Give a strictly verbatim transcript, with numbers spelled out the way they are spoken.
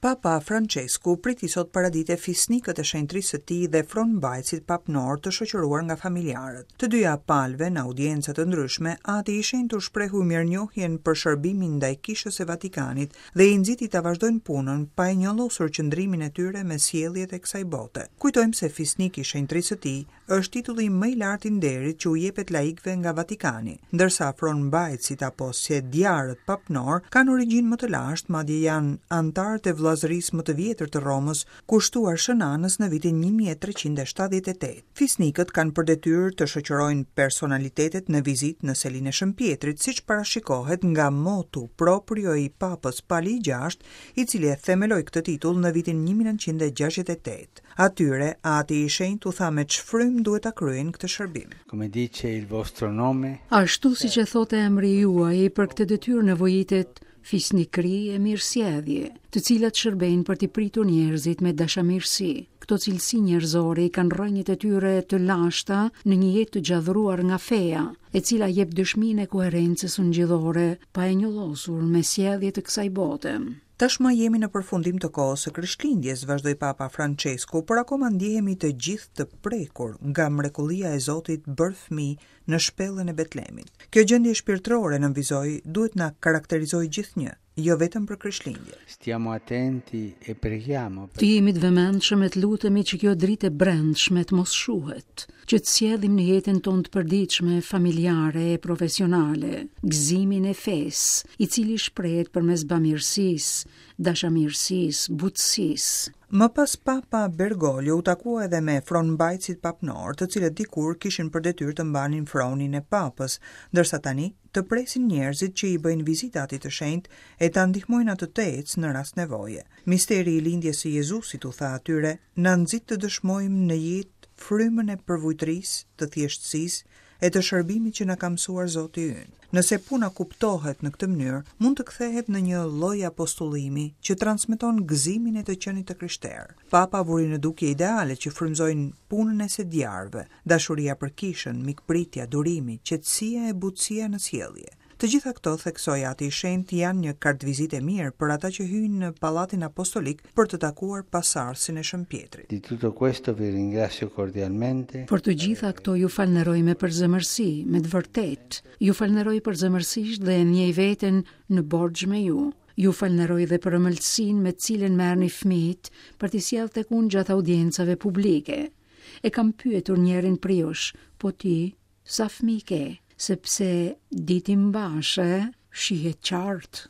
Papa Francesku priti sot paradite fisnikët e shenjtrisë së tij dhe fronmbajtësit papnor të shoqëruar nga familjarët. Të dyja palëve në audienca të ndryshme, Ati i Shenjtë u shprehu mirënjohjen për shërbimin ndaj Kishës së Vatikanit dhe i nxiti ta vazhdojnë punën pa e njollosur qëndrimin e tyre me sjelljet e kësaj bote. Kujtojmë se fisnik i shenjtrisë së tij është titulli më i lartë i nderit që u jepet laikëve nga Vatikani, ndërsa fronmbajtësit apo sediarët papnor kanë origjinë më të lashtë, madje janë anëtarët e vëllazërisë më të vjetër të Romës, kushtuar Shën Anës në vitin një mijë e treqind e shtatëdhjetë e tetë. Fisnikët kanë për detyrë të shoqërojnë personalitetet në vizitë në selinë e Shën Pietrit, siç parashikohet nga motu proprio i Papës Pali i Gjashtë, i cili e themeloi këtë titull në vitin një mijë e nëntëqind e gjashtëdhjetë e tetë. Atyre, Ati i Shenjtë u tha me ç'frymë duhet ta kryejnë këtë shërbim. Come dice il vostro nome, Ashtu siç e thotë emri juaj, për këtë detyrë nevojitet fisnikri e mirësjellje, të cilat shërbejnë për t'i pritur njerëzit me dashamirësi. Këto cilësi njerëzore i kanë rrënjët e tyre të lashta në një jetë të gjallëruar nga feja, e cila jep dëshminë e koherencës ungjillore pa e njollosur me sjellje të kësaj bote. "Tashmë jemi në përfundim të kohës së Krishtlindjes", vazhdoi Papa Francesku, "por akoma ndjehemi të gjithë të prekur nga mrekullia e Zotit bërë fëmijë në shpellën e Betlemit. Kjo gjendje shpirtërore", nënvizoi, "duhet na karakterizojë gjithnjë, jo vetëm për Krishtlindje." Stiamo attenti e preghiamo Të jemi të vëmendshëm e të lutemi që kjo dritë e brendshme të mos shuhet, që të sjellim në jetën tonë të përditshme, familjare e profesionale, gëzimin e fesë, i cili shprehet përmes bamirësisë, dashamirësisë, butësisë. Më pas Papa Bergoglio u takua edhe me fronmbajtësit papnor, të cilët dikur kishin për detyrë të mbanin fronin e papës, ndërsa tani të presin njerëzit që i bëjnë vizita Atit të Shenjtë e ta ndihmojnë atë të ecë në rast nevoje. "Misteri i lindjes së Jezusit", u tha atyre, "na nxit të dëshmojmë në jetë frymën e përvujtrisë, të thjeshtësisë e të shërbimit që na ka mësuar Zoti ynë. Nëse puna kuptohet në këtë mënyrë, mund të kthehet në një lloj apostullimi që transmeton gëzimin e të qenit të krishterë." Papa vuri në dukje ideale që frymëzojnë punën e sediarëve: dashuria për kishën, mikpritja, durimi, qetësia e butësia në sjellje. Të gjitha këto, theksoi Ati i Shenjtë, janë një kartëvizitë e mirë për ata që hyjnë në Pallatin Apostolik për të takuar pasardhësin e Shën Pietrit. Di tutto questo vi ringrazio cordialmente. Për të gjitha këto ju falënderoj me përzemërsi, me të vërtetë. Ju falënderoj përzemërsisht dhe e ndjej veten në borxh me ju. Ju falënderoj dhe për ëmbëlsinë me të cilën merrni fëmijët për t'i sjellë tek unë gjatë audiencave publike. E kam pyetur njërin prej jush: "Po ti, sa fëmijë ke?" Sepse di t'i mbash, e? Shihet qartë.